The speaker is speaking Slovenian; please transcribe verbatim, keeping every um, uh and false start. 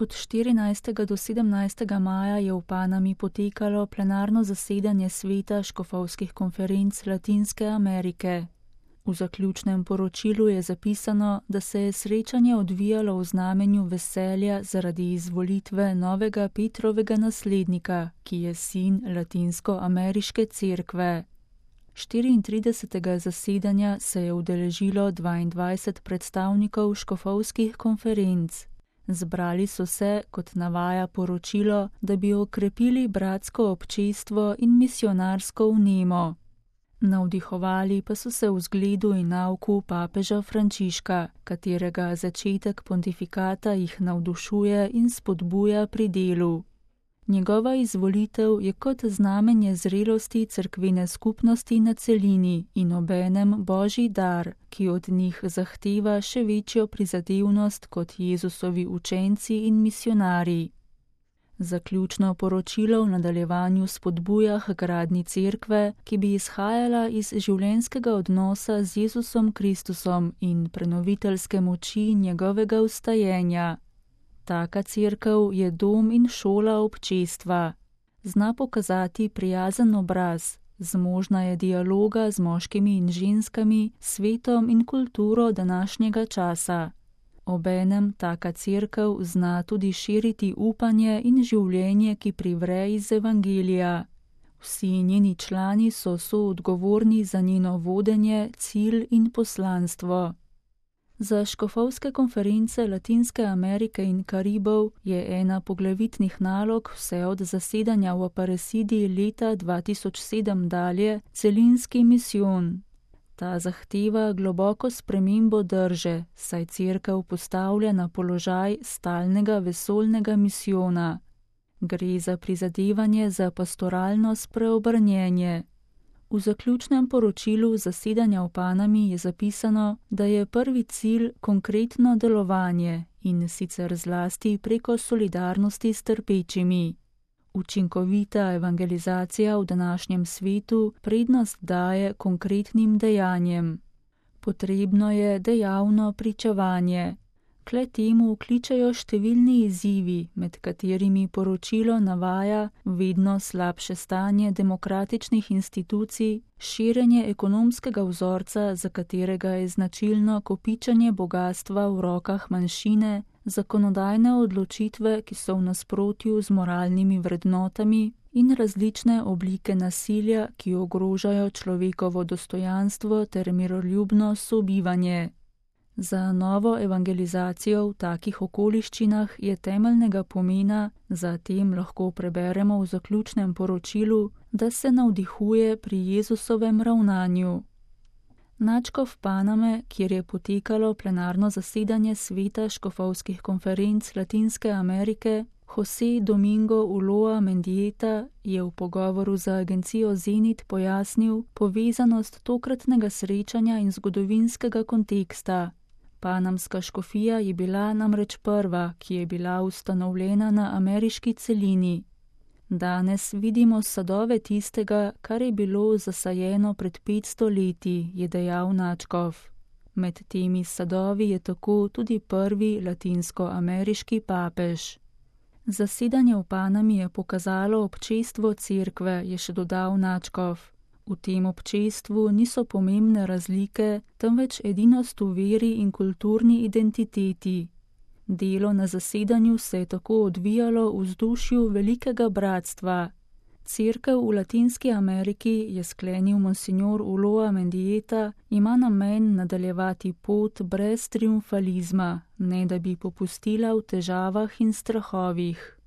Od štirinajstega do sedemnajstega maja je v Panami potekalo plenarno zasedanje Sveta škofovskih konferenc Latinske Amerike. V zaključnem poročilu je zapisano, da se je srečanje odvijalo v znamenju veselja zaradi izvolitve novega Petrovega naslednika, ki je sin Latinsko-ameriške cerkve. štiriintridesetega zasedanja se je udeležilo dvaindvajset predstavnikov škofovskih konferenc. Zbrali so se, kot navaja poročilo, da bi okrepili bratsko občestvo in misionarsko vnemo. Navdihovali pa so se v zgledu in nauku papeža Frančiška, katerega začetek pontifikata jih navdušuje in spodbuja pri delu. Njegova izvolitev je kot znamenje zrelosti cerkvene skupnosti na celini in obenem božji dar, ki od njih zahteva še večjo prizadevnost kot Jezusovi učenci in misionarji. Zaključno poročilo v nadaljevanju spodbuja h gradnji cerkve, ki bi izhajala iz življenjskega odnosa z Jezusom Kristusom in prenoviteljske moči njegovega vstajenja. Taka cerkev je dom in šola občestva. Zna pokazati prijazen obraz, zmožna je dialoga z moškimi in ženskami, svetom in kulturo današnjega časa. Obenem taka cerkev zna tudi širiti upanje in življenje, ki privre iz evangelija. Vsi njeni člani so soodgovorni za njeno vodenje, cilj in poslanstvo. Za škofovske konference Latinske Amerike in Karibov je ena poglavitnih nalog vse od zasedanja v Aparecidi leta dva tisoč sedem dalje celinski misijon. Ta zahteva globoko spremembo drže, saj cerkev postavlja na položaj stalnega vesoljnega misijona. Gre za prizadevanje za pastoralno spreobrnjenje. V zaključnem poročilu zasedanja v Panami je zapisano, da je prvi cilj konkretno delovanje in sicer zlasti preko solidarnosti s trpečimi. Učinkovita evangelizacija v današnjem svetu prednost daje konkretnim dejanjem. Potrebno je dejavno pričevanje. Kle temu kličejo številni izzivi, med katerimi poročilo navaja vedno slabše stanje demokratičnih institucij, širjenje ekonomskega vzorca, za katerega je značilno kopičenje bogastva v rokah manjšine, zakonodajne odločitve, ki so v nasprotju z moralnimi vrednotami, in različne oblike nasilja, ki ogrožajo človekovo dostojanstvo ter miroljubno sobivanje. Za novo evangelizacijo v takih okoliščinah je temeljnega pomena, zatem lahko preberemo v zaključnem poročilu, da se navdihuje pri Jezusovem ravnanju. Nadškof Paname, kjer je potekalo plenarno zasedanje Sveta škofovskih konferenc Latinske Amerike, José Domingo Ulloa Mendieta, je v pogovoru za agencijo Zenit pojasnil povezanost tokratnega srečanja in zgodovinskega konteksta. Panamska škofija je bila namreč prva, ki je bila ustanovljena na ameriški celini. Danes vidimo sadove tistega, kar je bilo zasajeno pred petsto leti, je dejal nadškof. Med temi sadovi je tako tudi prvi latinsko-ameriški papež. Zasedanje v Panami je pokazalo občestvo cerkve, je še dodal nadškof. V tem občestvu niso pomembne razlike, temveč edinost v veri in kulturni identiteti. Delo na zasedanju se je tako odvijalo v vzdušju velikega bratstva. Cerkev v Latinski Ameriki, je sklenil monsignor Ulloa Mendieta, ima namen nadaljevati pot brez triumfalizma, ne da bi popustila v težavah in strahovih.